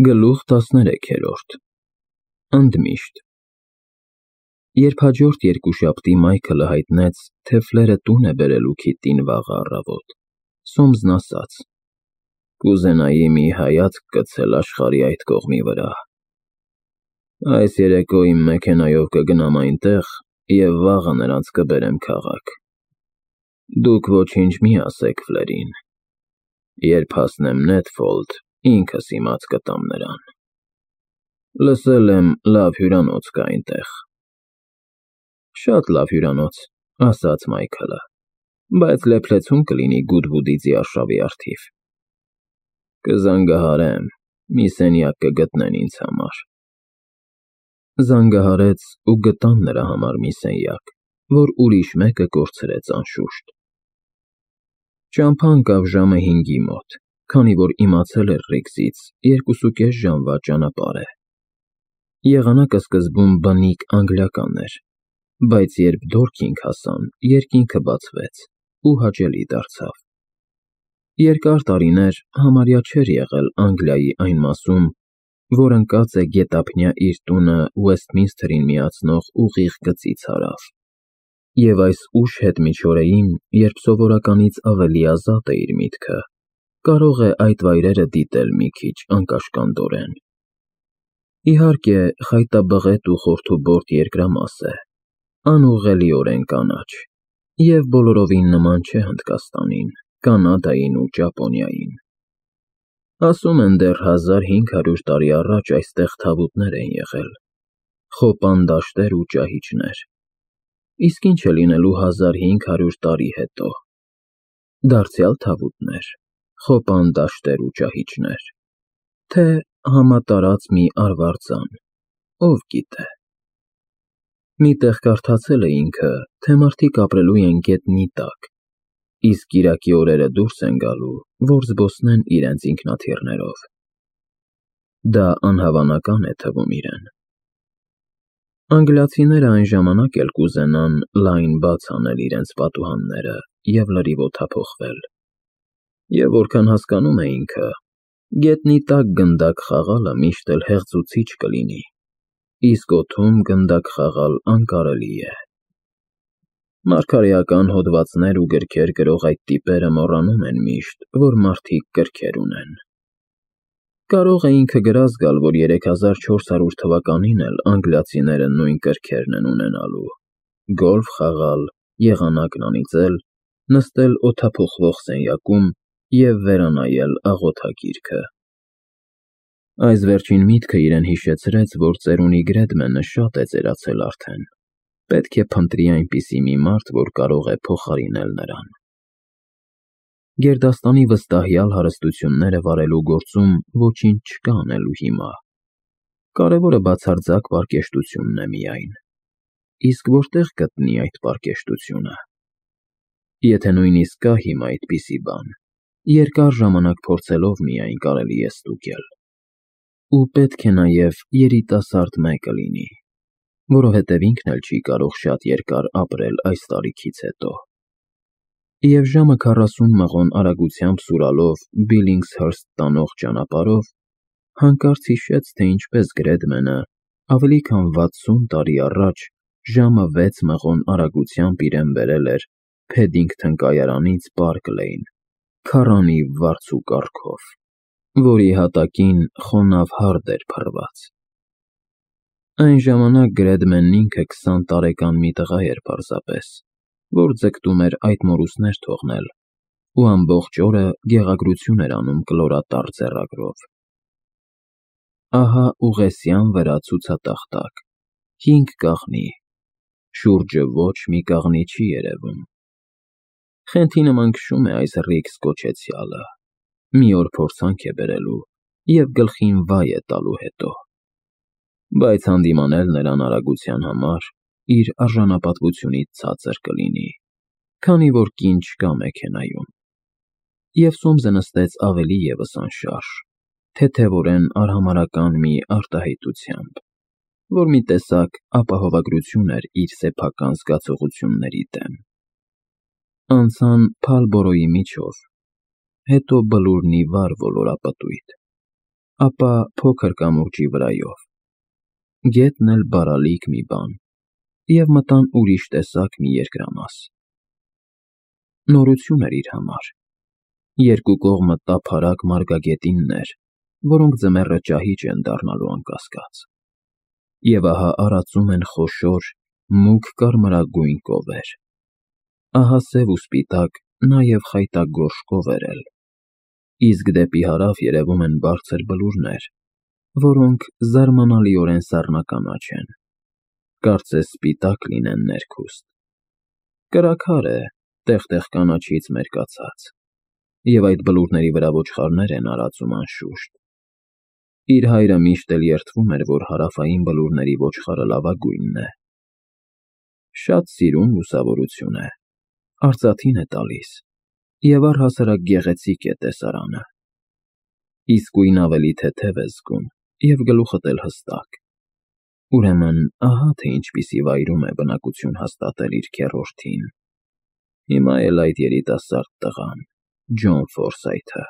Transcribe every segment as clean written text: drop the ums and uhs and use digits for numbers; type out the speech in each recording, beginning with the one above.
Գլուխ 13 Ընդմիշտ Երբ հաջորդ երկուշաբթի Մայքլը հայտնեց, թե Ֆլերը տուն է բերելու Քիթտին վաղը առավոտ, Սոմսն ասաց. «Կուզենայի մի հայացք գցել աշխարհի այդ կողմի վրա։ Այս երեկո իմ մեքենայով կգնամ այնտեղ և վաղը նրանց կբերեմ քաղաք։ Դուք ոչինչ մի ասեք Ֆլերին։ Երբ հասնեմ Նեթֆոլդ, ինքս իմաց կտամ նրան։ Լսել եմ, լավ հյուրանոց կա այնտեղ»։ «Շատ լավ հյուրանոց», ասաց Մայքլը, «բայց լեփլեցուն կլինի Գուդվուդիցի արշավի առթիվ»։ «Կզանգահարեմ, մի սենյակ կգտնեն ինձ համար»։ Զանգահարեց ու գտան նրա համար մի սենյակ, որ ուրիշ մեկը կորցրեց անշուշտ։ Ճամփա ընկավ ժամը 5-ի մոտ, քանի որ իմացել էր Ռիգսից 2.5 ժամվա ճանապարհ է։ Եղանակը սկզբում բնիկ անգլիական էր, բայց երբ Դորքինգ հասան, երկինքը բացվեց ու հաճելի դարձավ։ Երկար տարիներ համարյա չէր եղել Անգլիայի այն մասում, որ ընկած է գետափնյա իր տունը Ուեսթմինսթերին միացնող ուղիղ գծից հարավ, և այս ուշ հետմիջօրեին, երբ սովորականից ավելի ազատ է իր միտքը, կարող է այդ վայրերը դիտել մի քիչ անկաշկանդորեն։ Իհարկե, խայտաբղետ ու խորթուբորտ երկրամաս է, անուղղելիորեն կանաչ, և բոլորովին նման չէ Հնդկաստանին, Կանադային ու Ճապոնիային։ Ասում են դեռ 1500 տարի առաջ այստեղ թավուտներ են եղել, խոպան դաշտեր ու ճահիճներ, իսկ ինչ է լինելու 1500 տարի հետո։ Դարձյալ թավուտնե՞ր, խոպան դաշտեր ու ճահիճներ, թե համատարած մի արվարձան, ով գիտե։ Մի տեղ կարդացել է ինքը, թե մարդիկ ապրելու են գետնի տակ, իսկ կիրակի օրերը դուրս են գալու, որ զբոսնեն իրենց ինքնաթիռներով։ Դա անհավանական է թվում իրեն։ Անգլիացիները այն ժամանակ էլ կուզենան լայն բաց անել իրենց պատուհանները և լրիվ օդափոխվել։ Եվ որքան հասկանում է ինքը, գետնի տակ գնդակ խաղալը միշտ էլ հեղձուցիչ կլինի, իսկ օդում գնդակ խաղալ անկարելի է։ Մարգարեական հոդվածներ ու գրքեր գրող այդ տիպերը մոռանում են միշտ, որ մարդիկ կրքեր ունեն։ Կարող է ինքը գրած գալ, որ 3400 թվականին էլ անգլիացիները նույն կրքերն են ունենալու՝ գոլֆ խաղալ, եղանակն անիծել, նստել օդափոխվող սենյակում և վերանայել աղոթագիրքը։ Այս վերջին միտքը իրեն հիշեցրեց, որ ծերունի Գրեդմենը շատ է ծերացել արդեն, պետք է փնտրի այնպիսի մի մարդ, որ կարող է փոխարինել նրան։ Գերդաստանի վստահյալ հարստությունները վարելու գործում ոչինչ չկա անելու հիմա։ Կարևորը բացարձակ պարկեշտությունն է միայն։ Իսկ որտեղ գտնի այդ պարկեշտությունը։ Եթե նույնիսկ կա հիմա այդպիսի բան, երկար ժամանակ փորձելով միայն կարելի է ստուգել։ Ու պետք է նաև երիտասարդ մեկը լինի, որովհետև ինքն էլ չի կարող շատ երկար ապրել այս տարիքից հետո։ Եվ ժամը 40 մղոն արագությամբ սուրալով Բիլլինգզհըրսթ տանող ճանապարհով հանկարծ հիշեց, թե ինչպես Գրեդմենը ավելի քան 60 տարի առաջ ժամը 6 մղոն արագությամբ իրեն բերել էր Փեդինգթոն կայարանից Պարկ Լեյն, քառանի վարձու կառքով, որի հատակին խոնավ հարդ էր փռված։ Այն ժամանակ Գրեդմենն ինքը 20 տարեկան մի տղա էր պարզապես, որ ձգտում էր այդ մորուսներ թողնել ու ամբողջ օրը գեղագրություն էր անում կլորատառ ձեռագրով։ Ահա ուղեսյան վրա ցուցատախտակ, 5 կաղնի, շուրջը ոչ մի կաղնի չի երևում։ Խենթի նման քշում է այս Ռիգս կոչեցյալը, մի օր փորձանք է բերելու և գլխին վայ է տալու հետո։ Բայց հանդիմանել նրան արագության համար իր արժանապատվությունից ցածր կլինի, քանի որ կին չկա մեքենայում։ Եվ Սոմսը նստեց ավելի ևս անշարժ, թեթևորեն արհամարհական մի արտահայտությամբ, որ մի տեսակ ապահովագրություն էր իր սեփական զգացողությունների դեմ։ Անցան Փալբորոյի միջով, հետո Բլուրնի վար ոլորապտույտ։ ապա փոքր կամուրջի վրայով։ Գետն էլ բարալիկ մի բան, և մտան ուրիշ տեսակ մի երկրամաս։ Նորություն էր իր համար։ Երկու կողմը տափարակ մարգագետիններ, որոնք ձմեռը ճահիճ են դառնալու անկասկած։ Եվ ահա արածում են խոշոր, մուգ կարմրագույն կովեր։ Ահա սև ու սպիտակ, նաև խայտագորշ կովեր էլ։ Իսկ դեպի հարավ երևում են բարձր բլուրներ, որոնք զարմանալիորեն սառնականաչ են, կարծես սպիտակ լինեն ներքուստ։ Կրաքար է, տեղ-տեղ կանաչից մերկացած, և այդ բլուրների վրա ոչխարներ են արածում անշուշտ։ Իր հայրը միշտ էլ երդվում էր, որ հարավային բլուրների ոչխարը լավագույնն է։ Շատ սիրուն լուսավորություն է, արծաթին է տալիս, և առհասարակ գեղեցիկ է տեսարանը։ Իսկույն ավելի թեթև ես զգում, և գլուխդ էլ հստակ։ Ուրեմն, ահա թե ինչպիսի վայրում է բնակություն հաստատել իր քեռորդին։ Հիմա էլ այդ երիտասարդ տղան, Ջոն Ֆորսայթը։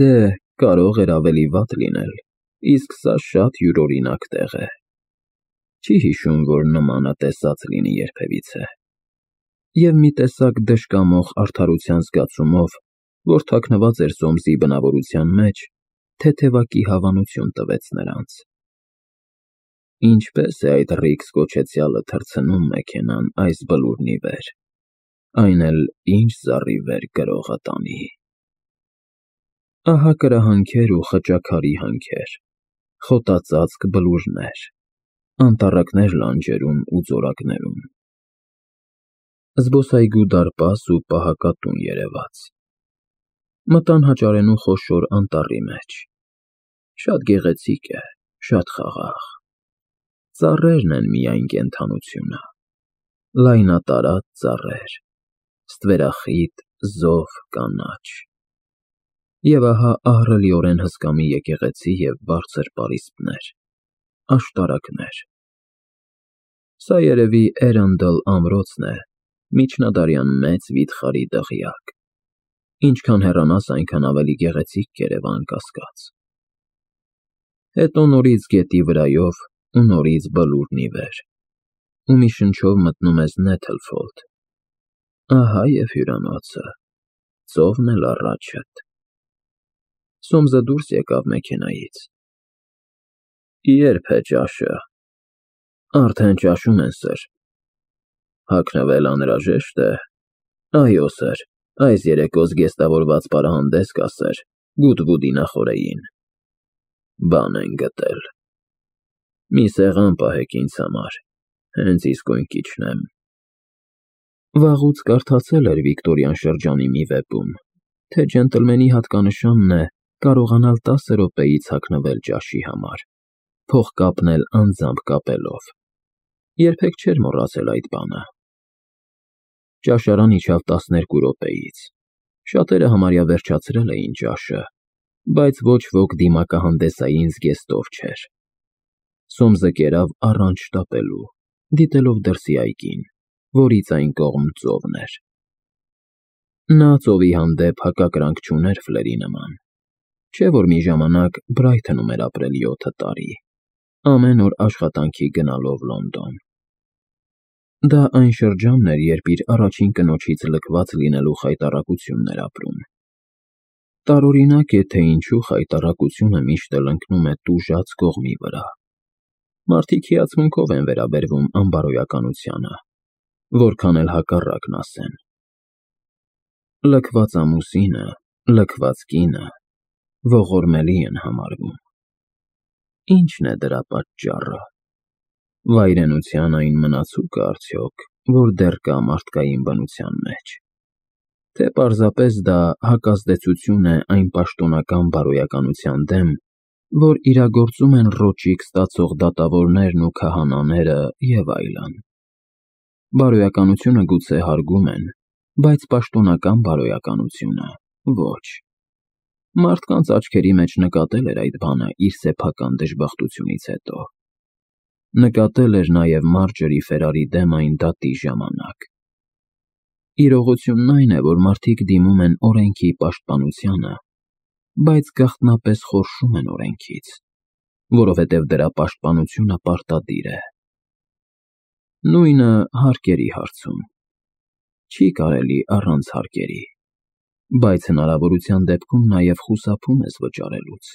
Դե, կարող էր ավելի վատ լինել, իսկ սա շատ յուրօրինակ տեղ է։ Չի հիշում, որ նմանը տեսած լինի երբևիցե։ Եվ մի տեսակ դժկամող արդարության զգացումով, որ թաքնված էր Սոմսի բնավորության մեջ, թեթևակի հավանություն տվեց նրանց։ Ինչպես է այդ Ռիքս կոչեցյալը թռցնում մեքենան այս բլուրն ի վեր, այն էլ ինչ զառիվեր գրողը տանի։ Ահա կրահանքեր ու խճաքարի հանքեր, խոտածածկ բլուրներ, անտառակներ լանջերում ու ձորակներում։ Զբոսայգու դարպաս ու պահակատուն երևաց։ Մտան հաճարենու խոշոր անտառի մեջ։ Շատ գեղեցիկ է, շատ խաղաղ։ Ծառերն են միայն կենդանությունը։ Լայնատարած ծառեր, ստվերախիտ, զով, կանաչ։ Եվ ահա ահռելիորեն հսկա մի եկեղեցի և բարձր պարիսպներ, աշտարակներ։ Սա երևի Էրանդլ ամրոցն է, միջնադարյան մեծ վիթխարի դղյակ։ Ինչքան հեռանաս, այնքան ավելի գեղեցիկ կերևա անկասկած։ Հետո նորից գետի վրայով ու նորից բլուրն ի վեր, ու մի շնչով մտնում ես Նեթլֆոլդ։ Ահա և հյուրանոցը, ծովն էլ առաջդ։ Սոմսը դուրս եկավ մեքենայից։ Ե՞րբ է ճաշը։ Արդեն ճաշում են, սըր։ Հագնվել անհրաժեշտ է։ Այո, սըր, այս երեկո զգեստավորված պարահանդես կա, սըր, Գուդվուդի նախօրեին։ Բան են գտել։ Մի սեղան պահեք ինձ համար, հենց իսկույն կիջնեմ։ Վաղուց կարդացել էր Վիկտորյան շրջանի մի վեպում, թե ջենտլմենի հատկանշանն է կարողանալ 10 րոպեից հագնվել ճաշի համար, փող կապնել անձամբ կապելով։ Երբեք չէր մոռացել այդ բանը։ Ճաշարան իջավ 12 րոպեից։ Շատերը համարյա վերջացրել էին ճաշը, բայց ոչ ոք դիմակահանդեսային զգեստով չէր։ Սոմսը կերավ առանց շտապելու, դիտելով դրսի այգին, որից այն կողմ ծովն էր։ Նա ծովի հանդեպ հակակրանք չուներ Ֆլերի նման։ Չէ՞ որ մի ժամանակ Բրայթոնում էր ապրել 7 տարի, ամեն օր աշխատանքի գնալով Լոնդոն։ Դա այն շրջանն էր, երբ իր առաջին կնոջից լքված լինելու խայտառակությունն էր ապրում։ Տարօրինակ է, թե ինչու խայտառակությունը միշտ էլ ընկնում է տուժած կողմի վրա։ Մարդիկ հիացմունքով են վերաբերվում անբարոյականությանը, որքան էլ հակառակն ասեն։ Լքված ամուսինը, լքված կինը ողորմելի են համարվում։ Ի՞նչն է դրա պատճառը։ Վայրենության այն մնացուկը արդյոք, որ դեռ կա մարդկային բնության մեջ, թե պարզապես դա հակազդեցություն է այն պաշտոնական բարոյականության դեմ, որ իրագործում են ռոճիկ ստացող դատավորներն ու քահանաները և այլն։ Բարոյականությունը գուցե հարգում են, բայց պաշտոնական բարոյականությունը ոչ։ Մարդկանց աչքերի մեջ նկատել էր այդ բանը իր սեփական դժբախտությունից հետո։ Նկատել էր նաև Մարջորի Ֆերարի դեմ այն դատի ժամանակ։ Իրողությունն այն է, որ մարդիկ դիմում են օրենքի պաշտպանությանը, բայց գաղտնապես խորշում են օրենքից, որովհետև դրա պաշտպանությունը պարտադիր է։ Նույնը հարկերի հարցում։ Չի կարելի առանց հարկերի, բայց հնարավորության դեպքում նաև խուսափում ես վճարելուց։